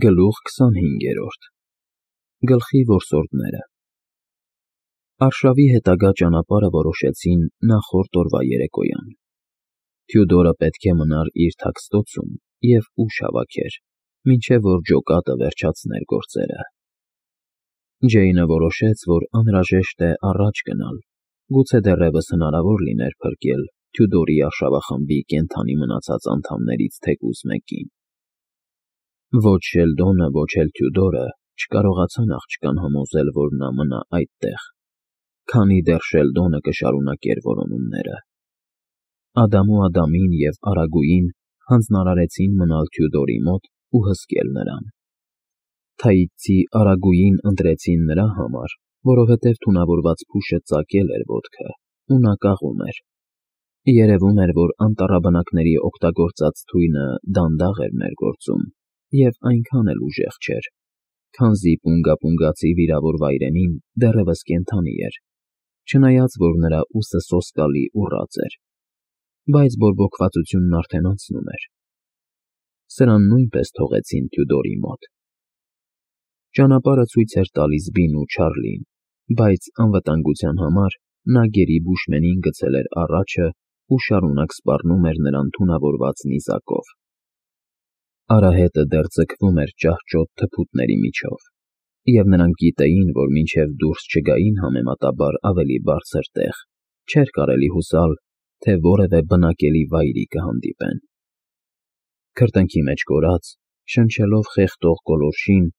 Գլուխ 25 Գլխի որսորդները Արշավի հետագա ճանապարհը որոշեցին նախորդ օրվա երեկոյան։ Թյուդորը պետք է մնար իր թաքստոցում և ուժ հավաքեր, մինչև որ ջոկատը վերջացներ գործերը։ Ջեյնը որոշեց, որ անհրաժեշտ է առաջ գնալ, գուցե դեռևս հնարավոր լիներ փրկել Թյուդորի արշավախմբի կենդանի մնացած անդամներից թեկուզ մեկին։ Ոչ Շելդոնը, ոչ էլ Թյուդորը չկարողացան աղջկան համոզել, որ նա մնա այդտեղ, քանի դեռ Շելդոնը կշարունակեր որոնումները։ Ադամին և Արագուին հանձնարարեցին մնալ Թյուդորի մոտ ու հսկել նրան։ Թաիցի Արագուին ընտրեցին նրա համար, որովհետև թունավորված փուշը ծակել էր ոտքը ու նա կաղում էր։ Երևում էր, որ անտառաբնակների օգտագործած թույնը դանդաղ էր ներգործում և այնքան էլ ուժեղ չէր, քանզի պունգապունգացի վիրավոր վայրենին դեռևս կենդանի էր, չնայած որ նրա ուսը սոսկալի ուռած էր, բայց բորբոքվածությունն արդեն անցնում էր։ Սրան նույնպես թողեցին Թյուդորի մոտ։ Ճանապարհը ցույց էր տալիս Բինն ու Չարլին, բայց անվտանգության համար նա գերի բուշմենին գցել էր առաջը ու շարունակ սպառնում էր նրան թունավորված նիզակով։ Արահետը դեռ ձգվում էր ճահճոտ թփուտների միջով, և նրանք գիտեին, որ մինչև դուրս չգային համեմատաբար ավելի բարձր տեղ, չէր կարելի հուսալ, թե որևէ բնակելի վայրի կհանդիպեն։ Քրտինքի մեջ կորած, շնչելով խեղդող գոլորշին,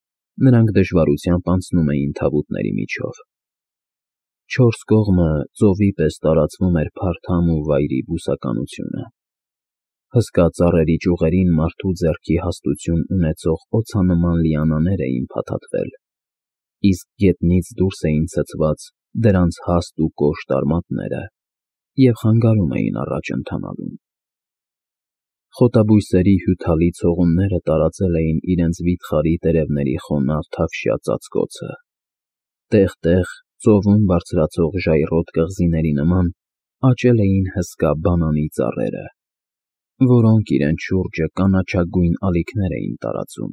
նրանք դժվարությամբ անցնում էին թավուտների միջով։ Չորս կողմը ծովի պես տարածվում էր փարթամ ու վայրի բուսականությունը։ Հսկա ծառերի ճյուղերին մարդու ձեռքի հաստություն ունեցող օձանման լիանաներ էին փաթաթվել, իսկ գետնից դուրս էին ցցված դրանց հաստ ու կոշտ արմատները և խանգարում էին առաջ ընթանալուն։ Խոտաբույսերի հյութալի ցողունները տարածել էին իրենց վիթխարի տերևների խոնավ թավշյա ծածկոցը։ Տեղ֊տեղ ծովում բարձրացող ժայռոտ կղզիների նման աճել էին հսկա բանանի ծառերը, որոնք իրենց շուրջը կանաչագույն ալիքներ էին տարածում։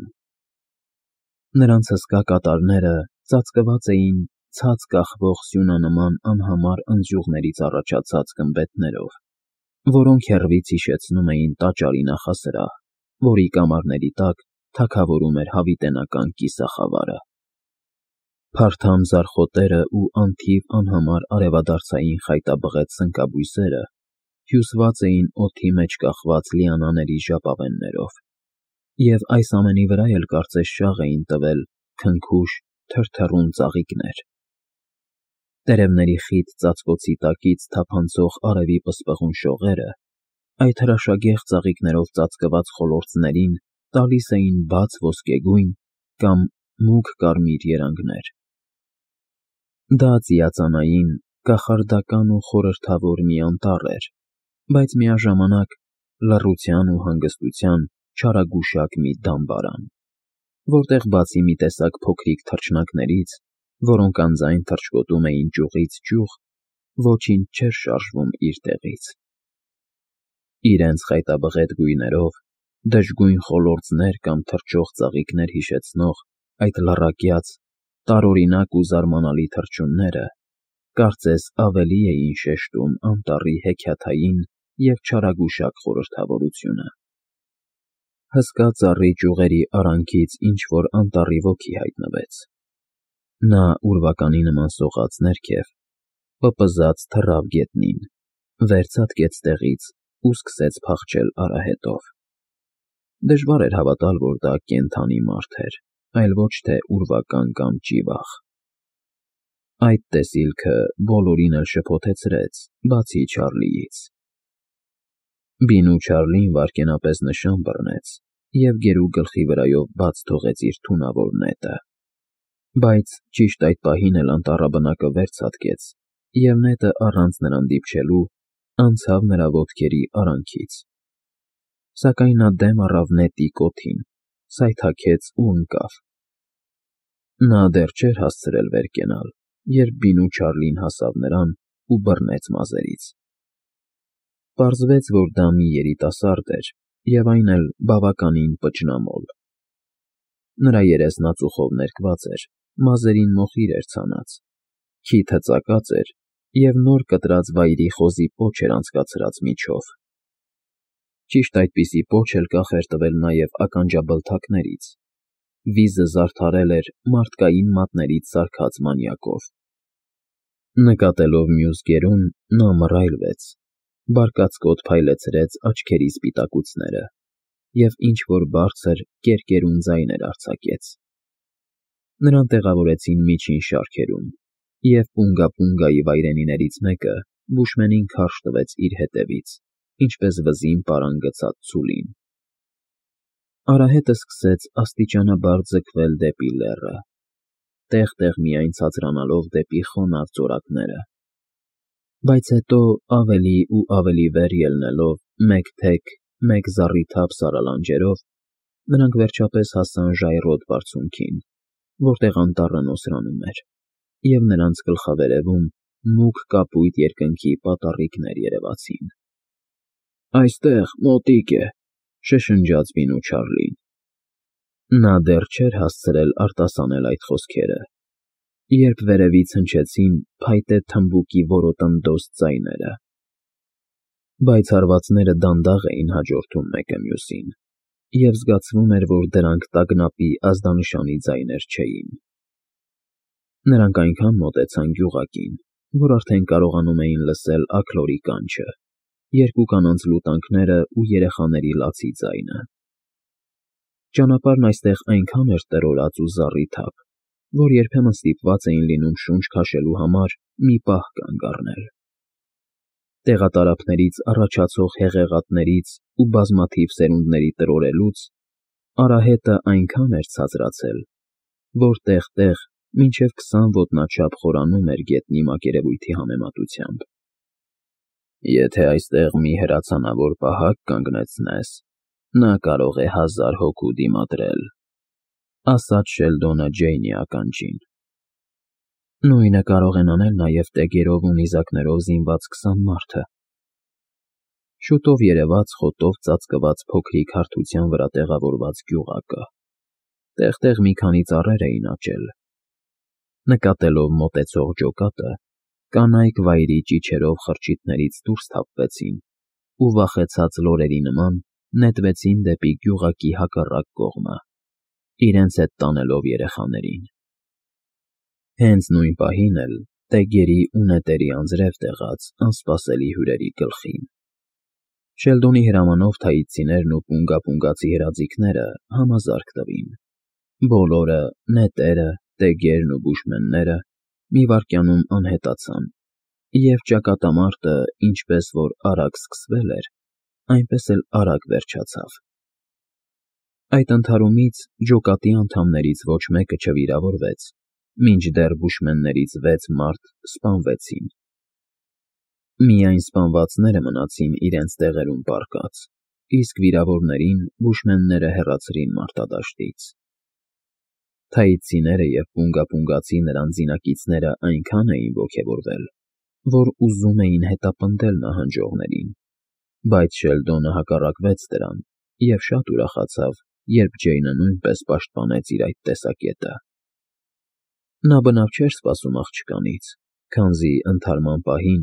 Նրանց հսկա կատարները ծածկված էին ցած կախվող սյունանման անհամար ընձյուղներից առաջացած գմբեթներով, որոնք հեռվից հիշեցնում էին տաճարի նախասրահ, որի կամարների տակ թագավորում էր հավիտենական կիսախավարը։ Փարթամ ձարխոտերն ու անթիվ անհամար արևադարձային խայտաբղետ սնկաբույսերը հյուսված էին օդի մեջ կախված լիանաների ժապավեններով, և այս ամենի վրա էլ կարծես շաղ էին տվել քնքուշ, թրթռուն ծաղիկներ։ Տերևների խիտ ծածկոցի տակից թափանցող արևի պսպղուն շողերը այդ հրաշագեղ ծաղիկներով ծածկված խոլորձներին տալիս էին բաց ոսկեգույն կամ մուգ կարմիր երանգներ։ Դա ծիածանային, կախարդական ու խորհրդավոր մի անտառ էր, բայց միաժամանակ լռության ու հանգստության չարագուշակ մի դամբարան, որտեղ բացի մի տեսակ փոքրիկ թռչնակներից, որոնք անձայն թռչկոտում էին ճյուղից ճյուղ, ոչինչ չէր շարժվում իր տեղից։ Իրենց խայտաբղետ գույներով դժգույն խոլորձներ կամ թռչող ծաղիկներ հիշեցնող այդ լառակյաց, տարօրինակ ու զարմանալի թռչունները կարծես ավելի էին շեշտում անտառի հեքիաթային և չարագուշակ խորհրդավորությունը։ Հսկա ծառի ճյուղերի արանքից ինչ-որ անտառի ոգի հայտնվեց։ Նա ուրվականի նման սողաց ներքև, պպզած թռավ գետնին, վերցատկեց տեղից ու սկսեց փախչել արահետով։ Դժվար էր հավատալ, որ դա կենդանի մարդ էր, այլ ոչ թե ուրվական կամ ճիվաղ։ Այդ տեսիլքը բոլորին էլ շփոթեցրեց, բացի Չարլիից։ Բին ու Չարլին վայրկենապես նշան բռնեց և գերու գլխի վրայով բաց թողեց իր թունավոր նետը, բայց ճիշտ այդ պահին էլ անտառաբնակը վերցատկեց, և նետը առանց նրան դիպչելու անցավ նրա ոտքերի արանքից։ Սակայն նա դեմ առավ նետի կոթին, սայթաքեց ու ընկավ։ Նա դեռ չէր հասցրել վեր կենալ, երբ Բին ու Չարլին հասավ նրան ու բռնեց մազերից։ Պարզվեց, որ դա մի երիտասարդ էր և այն էլ բավականին պճնամոլ։ Նրա երեսն ածուխով ներկված էր, մազերին մոխիր էր ցանած, քիթը ծակած էր և նոր կտրած վայրի խոզի պոչ էր անցկացրած միջով։ Ճիշտ այդպիսի պոչ էլ կախ էր տվել նաև ականջաբլթակներից, վիզը զարդարել էր մարդկային մատներից սարքած մանյակով։ Նկատելով մյուս գերուն, նա մռայլվեց, բարկացկոտ փայլեցրեց աչքերի սպիտակուցները և ինչ-որ բարձր, կերկերուն ձայներ արձակեց։ Նրան տեղավորեցին միջին շարքերում, և պունգա֊պունգայի վայրենիներից մեկը բուշմենին քարշ տվեց իր հետևից, ինչպես վզին պարան գցած ցուլին։ Արահետը սկսեց աստիճանաբար ձգվել դեպի լեռը, տեղ-տեղ միայն ցածրանալով դեպի խոնավ ծորակները, բայց հետո ավելի ու ավելի վեր ելնելով մեկ թեք, մեկ զառիթափ սարալանջերով, նրանք վերջապես հասան ժայռոտ բարձունքին, որտեղ անտառը նոսրանում էր, և նրանց գլխավերևում մուգ կապույտ երկնքի պատառիկներ երևացին։ «Այստեղ, մոտիկ է», շշնջաց Բինու Չարլին։ Նա դեռ չէր հասցրել արտասանել այդ խոսքերը, երբ վերևից հնչեցին փայտե թմբուկի որոտնդոզ ձայները, բայց հարվածները դանդաղ էին հաջորդում մեկը մյուսին, և զգացվում էր, որ դրանք տագնապի ազդանշանի ձայներ չէին։ Նրանք այնքան մոտեցան գյուղակին, որ արդեն կարողանում էին լսել աքլորի կանչը, երկու կանանց լուտանքները ու երեխաների լացի ձայնը։ Ճանապարհն այստեղ այնքան էր տրորած ու զառիթափ, որ երբեմն ստիպված էին լինում շունչ քաշելու համար մի պահ կանգ առնել։ Տեղատարափներից առաջացող հեղեղատներից ու բազմաթիվ սերունդների տրորելուց արահետը այնքան էր ցածրացել, որ տեղ֊տեղ մինչև 20 ոտնաչափ խորանում էր գետնի մակերևույթի համեմատությամբ։ «Եթե այստեղ մի հրացանավոր պահակ կանգնեցնես, նա կարող է 1000 հոգու դիմադրել», ասաց Շելդոնը Ջեյնի ականջին։ «Նույնը կարող են անել նաև տեգերով ու նիզակներով զինված 20 մարդը»։ Շուտով երևաց խոտով ծածկված փոքրիկ հարթության վրա տեղավորված գյուղակը։ Տեղ֊տեղ մի քանի ծառեր էին աճել։ Նկատելով մոտեցող ջոկատը, կանայք վայրի ճիչերով խրճիթներից դուրս թափվեցին ու վախեցած լորերի նման նետվեցին դեպի գյուղակի հակառակ կողմը, իրենց հետ տանելով երեխաներին։ Հենց նույն պահին էլ տեգերի ու նետերի անձրև տեղաց անսպասելի հյուրերի գլխին։ Շելդոնի հրամանով թայիցիներն ու պունգա֊պունգացի հրաձիգները համազարկ տվին։ Բոլորը՝ նետերը, տեգերն ու բուշմենները, մի վայրկյանում անհետացան, և ճակատամարտը ինչպես որ արագ սկսվել էր, այնպես էլ արագ վերջացավ։ Այդ ընդհարումից ջոկատի անդամներից ոչ մեկը չվիրավորվեց, մինչդեռ բուշմեններից 6 մարդ սպանվեցին։ Միայն սպանվածները մնացին իրենց տեղերում պառկած, իսկ վիրավորներին բուշմենները հեռացրին մարտադաշտից։ Թայիցիները և պունգա֊պունգացի նրանց զինակիցները այնքան էին ոգևորվել, որ ուզում էին հետապնդել նահանջողներին, բայց Շելդոնը հակառակվեց դրան և շատ ուրախացավ, երբ Ջեյնը նույնպես պաշտպանեց իր այդ տեսակետը։ Նա բնավ չէր սպասում աղջկանից, քանզի ընդհարման պահին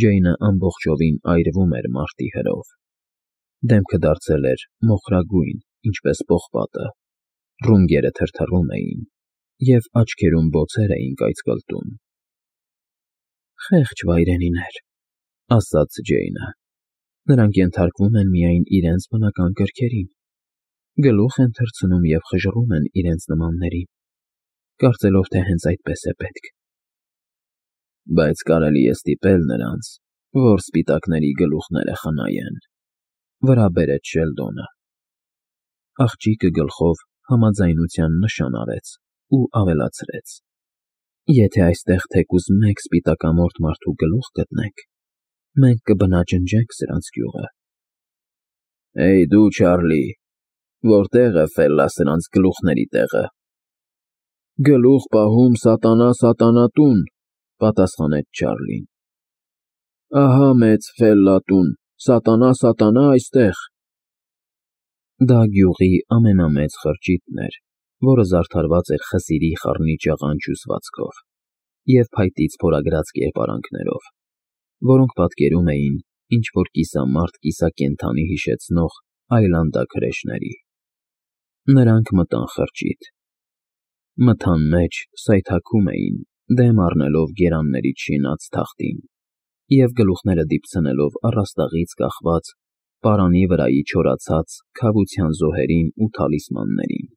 Ջեյնը ամբողջովին այրվում էր մարտի հրով։ Դեմքը դարձել էր մոխրագույն, ինչպես պողպատը, ռունգերը թրթռում էին, և աչքերում բոցեր էին կայծկլտում։ «Խեղճ վայրենիներ», ասաց Ջեյնը։ «Նրանք ենթարկվում են միայն իրենց բնական կրքերին, գլուխ են թռցնում և խժռում են իրենց նմաններին, կարծելով, թե հենց այդպես է պետք»։ «Բայց կարելի է ստիպել նրանց, որ սպիտակների գլուխները խնայեն», վրա բերեց Շելդոնը։ Աղջիկը գլխով համաձայնության նշան արեց ու ավելացրեց. «Եթե այստեղ թեկուզ մեկ սպիտակամորթ մարդու գլուխ գտնենք, մենք կբնաջնջենք սրանց գյուղը»։ «Հեյ դու, Չարլի, որտե՞ղ է Ֆելլա սրանց գլուխների տեղը»։ «Գլուխ պահում սատանա սատանատուն», պատասխանեց Չարլին։ «Ահա մեծ Ֆելլա տուն, սատանա այստեղ»։ Դա գյուղի ամենամեծ խրճիթն էր որը զարդարված էր խսիրի խառնի ճաղանճ հյուսվածքով և փայտից փորագրած կերպարանքներով, որոնք պատկերում էին ինչ-որ կիսամարդ կիսակենդանի հիշեցնող այլանդաքրեշների։ Նրանք մտան խրճիթ։ Մթան մեջ սայթաքում էին, դեմ առնելով գերաններից շինած թախտին և գլուխները դիպցնելով առաստաղից կախված պարանի վրայի չորացած քավության զոհերին ու թալիսմաններին։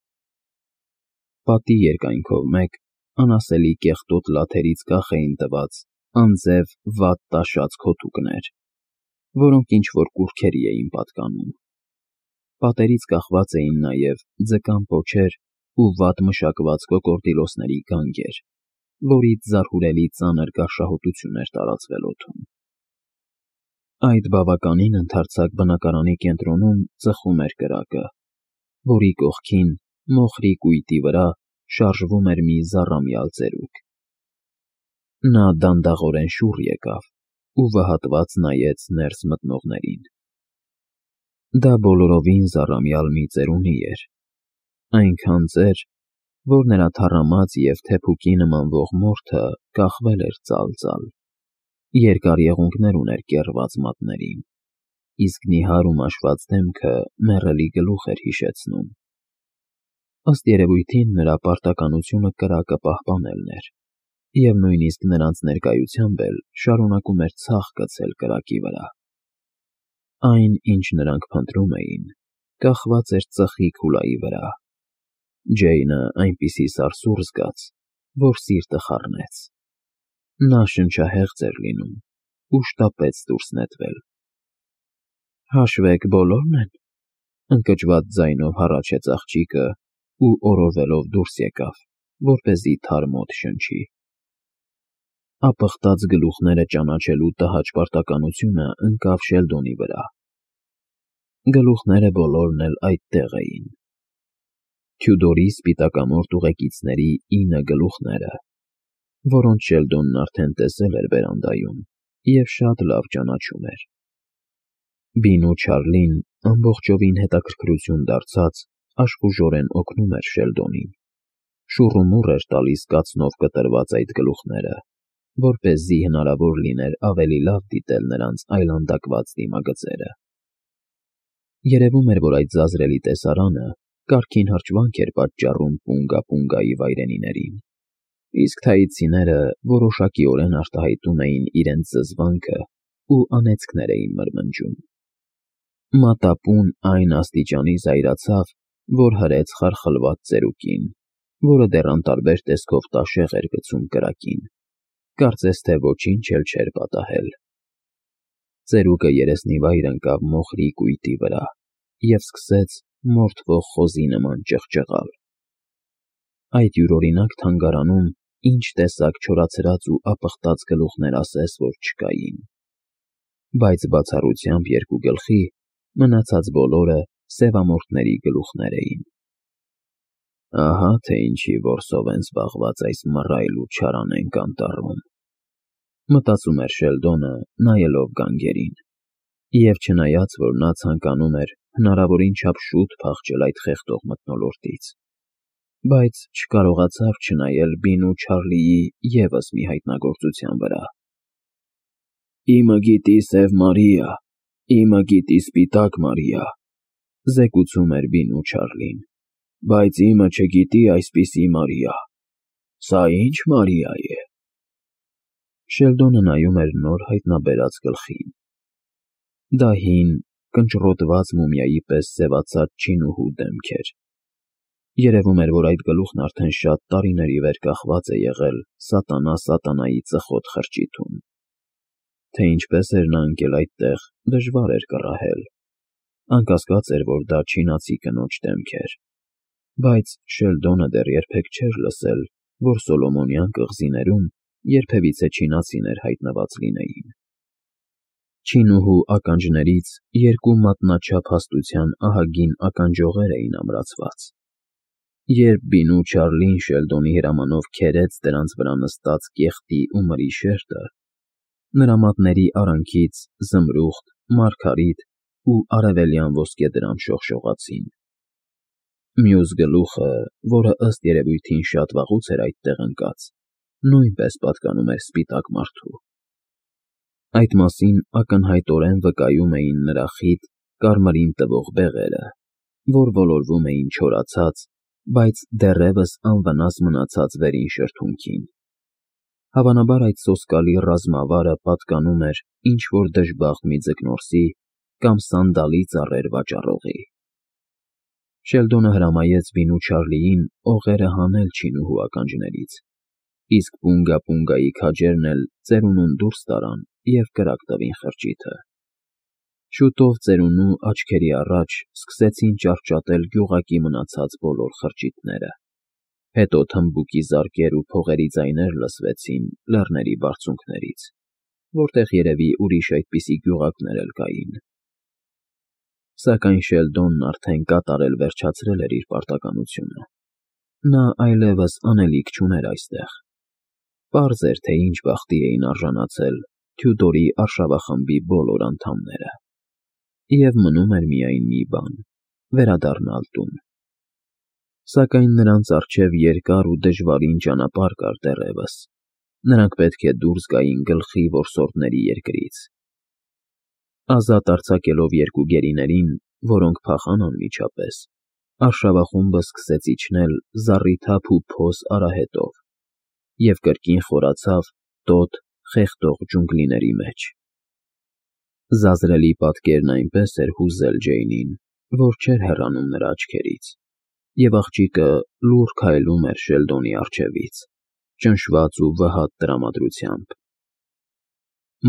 Պատի երկայնքով մեկ անասելի կեղտոտ լաթերից կախ էին տված անձև վատ տաշած քոթուկներ, որոնք ինչ-որ կուռքերի էին պատկանում։ Պատերից կախված էին նաև ձկան պոչեր ու վատ մշակված կոկորդիլոսների գանգեր, որից զարհուրելի ծանր գարշահոտություն էր տարածվել օդում։ Այդ բավականին ընդարձակ բնակարանի կենտրոնում ծխում էր կրակը, որի կողքին, մոխրի կույտի վրա, շարժվում էր մի զառամյալ ծերուկ։ Նա դանդաղորեն շուռ եկավ ու վհատված նայեց ներս մտնողներին։ Դա բոլորովին զառամյալ մի ծերունի էր, այնքան ծեր, որ նրա թառամած և թեփուկի նմանվող մորթը կախվել էր ծալ-ծալ, երկար եղունգներ ուներ կեռված մատներին, իսկ նիհար ու մաշված դեմքը մեռելի գլուխ էր հիշեցնում։ Ըստ երևույթին նրա պարտականությունը կրակը պահպանելն էր, և նույնիսկ նրանց ներկայությամբ էլ շարունակում էր ցախ գցել կրակի վրա։ Այն, ինչ նրանք փնտրում էին, կախված էր ծխի քուլայի վրա։ Ջեյնը այնպիսի սարսուռ զգաց, որ սիրտը խառնեց։ Նա շնչահեղձ էր լինում ու շտապեց դուրս նետվել։ «Հաշվեք բոլորն են», ընկճված ձայնով հառաչեց աղջիկը ու օրորվելով դուրս եկավ, որպեսզի թարմ օդ շնչի։ Ապխտած գլուխները ճանաչելու տհաճ պարտականությունը ընկավ Շելդոնի վրա։ Գլուխները բոլորն էլ այդտեղ էին։ Թյուդորի սպիտակամորթ ուղեկիցների 9 գլուխները, որոնց Շելդոնն արդեն տեսել էր բերանդայում և շատ լավ ճանաչում էր։ Բին ու Չարլին, ամբողջովին հետաքրքրություն դարձած, աշխուժորեն օգնում էր Շելդոնին, շուռումուռ էր տալիս կացնով կտրված այդ գլուխները, որպեսզի հնարավոր լիներ ավելի լավ դիտել նրանց այլանդակված դիմագծերը։ Երևում էր, որ այդ ձազրելի տեսարանը կարգին հրճվանք էր պատճառում Պունգա֊Պունգայի վայրենիներին, իսկ թայիցիները որոշակիորեն արտահայտում էին իրենց զզվանքը ու անեծքներ էին մրմնջում։ Մատապուն այն աստիճանի զայրացավ, որ հրեց խարխլված ծերուկին, որը դեռ անտարբեր տեսքով տաշեղ էր գցում կրակին, կարծես թե ոչինչ էլ չէր պատահել։ Ծերուկը երեսնիվայր ընկավ մոխրի կույտի վրա և սկսեց մորթվող խոզի նման ճղճղալ։ Այդ յուրօրինակ թանգարանում ինչ տեսակ չորացրած ու ապխտած գլուխներ ասես, որ չկային։ Բայց բացառությամբ երկու գլխի, մնացած բոլորը սևամորթների գլուխներ էին։ Ահա թե ինչի որսով են զբաղված այս մռայլ ու չարանենգ անտառում, մտածում էր Շելդոնը, նայելով գանգերին, և չնայած, որ նա ցանկանում էր հնարավորին չափ շուտ փախչել այդ խեղդող մթնոլորտից, բայց չկարողացավ չնայել Բին ու Չարլիի ևս մի հայտնագործության վրա։ «Իմը գիտի Սև Մարիա, իմը գիտի Սպիտակ Մարիա», զեկուցում էր Բին ու Չարլին, բայց իմը չգիտի այսպիսի Մարիա։ Սա ի՞նչ Մարիա է։ Շելդոնը նայում էր նոր հայտնաբերած գլխին։ Դա հին, կնճռոտված մումիայի պես սևացած չինուհու դեմք էր։ Երևում էր, որ այդ գլուխն արդեն շատ տարիների վեր կախված է եղել սատանա սատանայի ծխոտ խրճիթում։ Թե ինչպես էր նա ընկել այդտեղ, դժվար էր կռահել։ Անկասկած էր, որ դա չինացի կնոջ դեմք էր, բայց Շելդոնը դեռ երբեք չէր լսել, որ Սոլոմոնյան կղզիներում երբևիցե չինացիներ հայտնված լինեին։ Չինուհու ականջներից 2 մատնաչափ հաստության ահագին ականջողեր էին ամրացված։ Երբ Բին ու Չարլին Շելդոնի հրամանով քերեց դրանց վրա նստած կեղտի ու մրի շերտը, նրա մատների արանքից զմրուխտ, մարգարիտ ու արևելյան ոսկեդրամ շողշողացին։ Մյուս գլուխը, որը ըստ երևույթին շատ վաղուց էր այդտեղ ընկած, նույնպես պատկանում էր սպիտակ մարդու։ Այդ մասին ակնհայտորեն վկայում էին նրա խիտ, կարմրին տվող բեղերը, որ ոլորվում էին չորացած, բայց դեռևս անվնաս մնացած վերին շրթունքին։ Հավանաբար այդ սոսկալի ռազմավարը պատկանում էր ինչ-որ դժբախտ մի ձկնորսի կամ սանդալի ծառեր վաճառողի։ Շելդոնը հրամայեց Բինու Չարլիին օղերը հանել չինուհու ականջներից, իսկ Պունգա֊Պունգայի քաջերն էլ ծերունուն դուրս տարան և կրակ տվին խրճիթը։ Շուտով ծերունու աչքերի առաջ սկսեցին ճարճատել գյուղակի մնացած բոլոր խրճիթները, հետո թմբուկի զարկեր ու փողերի ձայներ լսվեցին լեռների բարձունքներից, որտեղ երևի ուրիշ այդպիսի գյուղակներ էլ կային։ Սակայն Շելդոնն արդեն կատարել վերջացրել էր իր պարտականությունը։ Նա այլևս անելիք չուներ այստեղ։ Պարզ էր, թե ինչ բախտի էին արժանացել Թյուդորի արշավախմբի բոլոր անդամները։ Եվ մնում էր միայն մի բան՝ վերադառնալ տուն։ Սակայն նրանց առջև երկար ու դժվարին ճանապարհ կար դեռևս։ Նրանք պետք է դուրս գային գլխի որսորդների երկրից։ Ազատ արձակելով երկու գերիներին, որոնք փախան անմիջապես, արշավախումբը սկսեց իջնել զառիթափ ու փոս արահետով և կրկին խորացավ տոտ, խեղդող ջունգլիների մեջ։ Զազրելի պատկերն այնպես էր հուզել Ջեյնին, որ չէր հեռանում նրա աչքերից, և աղջիկը լուռ քայլում էր Շելդոնի առջևից, ճնշված ու վհատ տրամադրությամբ։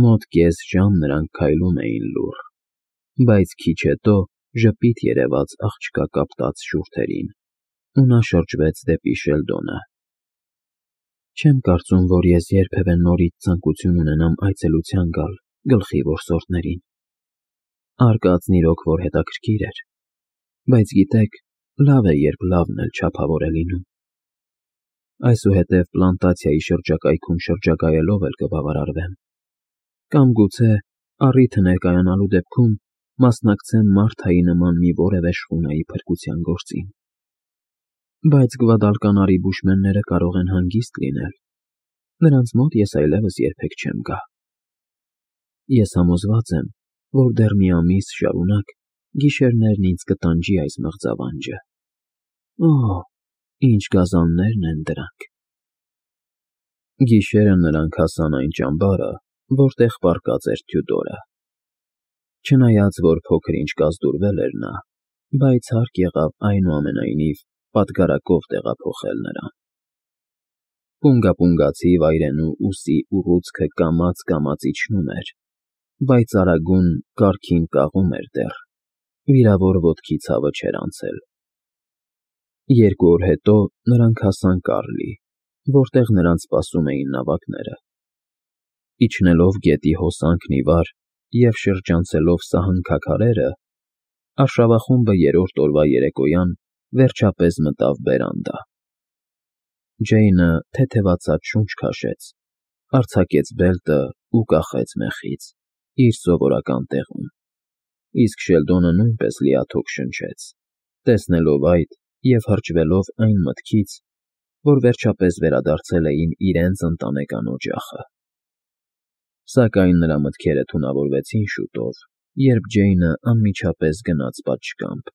Մոտ կես ժամ նրանք քայլում էին լուռ, բայց քիչ հետո ժպիտ երևաց աղջկա կապտած շուրթերին, ու նա շրջվեց դեպի Շելդոնը։ Չեմ կարծում, որ ես երբևէ նորից ցանկություն ունենամ այցելության գալ գլխի որսորդներին։ Արկածն իրոք որ հետաքրքիր էր, բայց գիտեք, լավ է, երբ լավն էլ չափավոր է լինում։ Այսուհետև պլանտացիայի շրջակայքում շրջագայելով էլ կբավարարվեմ։ Կամ գուցե, առիթը ներկայանալու դեպքում, մասնակցեմ Մարթայի նման մի որևէ շխունայի փրկության գործին։ Բայց գվադալկանարի բուշմենները կարող են հանգիստ լինել։ Նրանց մոտ ես այլևս երբեք չեմ գա։ Ես համոզված եմ, որ դեռ մի ամիս շարունակ գիշերներն ինձ կտանջի այս մղձավանջը։ Օհ, ինչ գազաններն են դրանք։ Գիշերը նրանք հասան այն ճամբարը, որտեղ պառկած էր Թյուդորը։ Չնայած որ փոքր-ինչ կազդուրվել էր նա, բայց հարկ եղավ այնուամենայնիվ պատգարակով տեղափոխել նրան։ Պունգա֊պունգացի վայրենու ուսի ուռուցքը կամաց իջնում էր, բայց արագուն կառքին կաղում էր դեռ, վիրավոր ոտքի ցավը չէր անցել։ 2 օր հետո նրանք հասան Կարլի, որտեղ նրանց սպասում էին նավակները։ Իջնելով գետի հոսանքն ի վար և շրջանցելով սահնքաքարերը, արշավախումբը 3-րդ օրվա երեկոյան վերջապես մտավ բերանդա։ Ջեյնը թեթևացած շունչ քաշեց, արձակեց բելտը ու կախեց մեխից, իր սովորական տեղում, իսկ Շելդոնը նույնպես լիաթոք շնչեց, տեսնելով այդ և հրճվելով այն մտքից, որ վերջապես վերադարձել էին իրենց ընտանեկան օջախը։ Սակայն նրա մտքերը թունավորվեցին շուտով, երբ Ջեյնը անմիջապես գնաց պատշգամբ,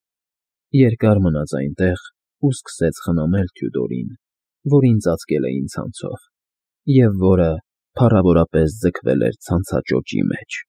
երկար մնաց այնտեղ ու սկսեց խնամել Թյուդորին, որին ծածկել էին ցանցով, և որը փառավորապես ձգվել էր ցանցաճոճի մեջ։